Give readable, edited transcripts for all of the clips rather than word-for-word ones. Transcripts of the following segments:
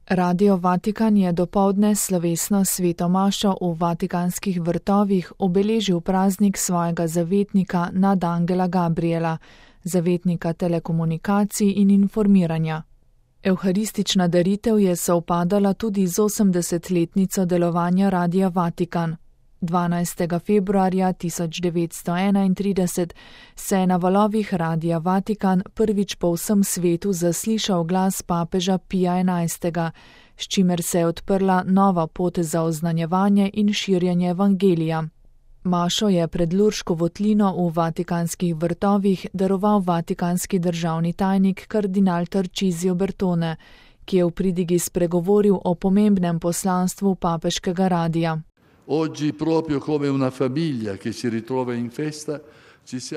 Radio Vatikan je dopoldne slovesno sveto mašo v Vatikanskih vrtovih obeležil praznik svojega zavetnika nad Angela Gabriela, zavetnika telekomunikacij in informiranja. Evharistična daritev je sovpadala tudi z 80-letnico delovanja Radia Vatikan. 12. februarja 1931 se je na valovih Radia Vatikan prvič po vsem svetu zaslišal glas papeža Pija XI., s čimer se je odprla nova pot za oznanjevanje in širjenje evangelija. Mašo je pred Lurško votlino v Vatikanskih vrtovih daroval vatikanski državni tajnik kardinal Tarcisio Bertone, ki je v pridigi spregovoril o pomembnem poslanstvu papeškega radia.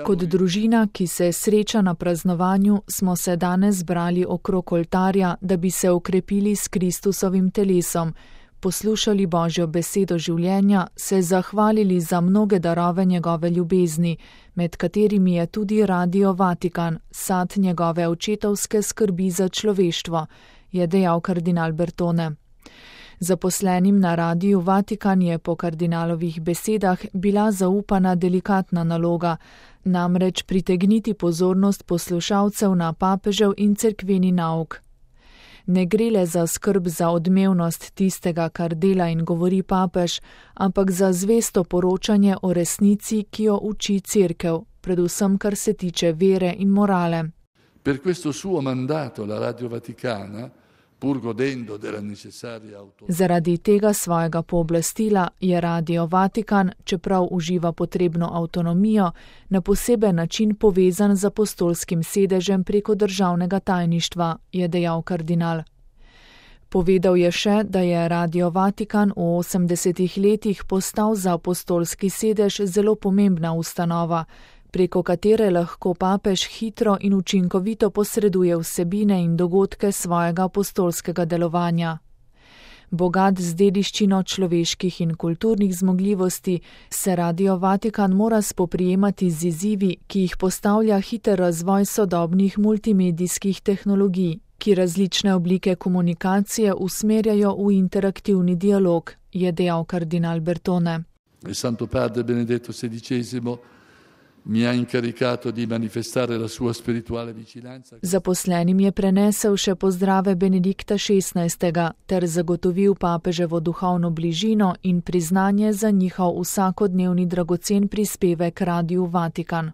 Kot družina, ki se sreča na praznovanju, smo se danes zbrali okrog oltarja, da bi se okrepili s Kristusovim telesom, poslušali Božjo besedo življenja, se zahvalili za mnoge darove njegove ljubezni, med katerimi je tudi Radio Vatikan, sad njegove očetovske skrbi za človeštvo, je dejal kardinal Bertone. Zaposlenim na Radiu Vatikan je po kardinalovih besedah bila zaupana delikatna naloga, namreč pritegniti pozornost poslušalcev na papežev in cerkveni nauk. Ne gre le za skrb za odmevnost tistega, kar dela in govori papež, ampak za zvesto poročanje o resnici, ki jo uči cerkev, predvsem kar se tiče vere in morale. Per questo suo mandato la Radio Vaticana, zaradi tega svojega pooblastila je Radio Vatikan, čeprav uživa potrebno avtonomijo, na poseben način povezan z apostolskim sedežem preko državnega tajništva, je dejal kardinal. Povedal je še, da je Radio Vatikan v 80 letih postal za apostolski sedež zelo pomembna ustanova, preko katere lahko papež hitro in učinkovito posreduje vsebine in dogodke svojega apostolskega delovanja. Bogat z dediščino človeških in kulturnih zmogljivosti, se Radio Vatikan mora spoprijemati z izzivi, ki jih postavlja hiter razvoj sodobnih multimedijskih tehnologij, ki različne oblike komunikacije usmerjajo v interaktivni dialog, je dejal kardinal Bertone. Santo Padre Benedetto XVI mi ha incaricato di manifestare la sua spirituale vicinanza. Zaposlenim je prenesel še pozdrave Benedikta XVI. Ter zagotovil papeževo duhovno bližino in priznanje za njihov vsakodnevni dragocen prispevek Radiu Vatikan.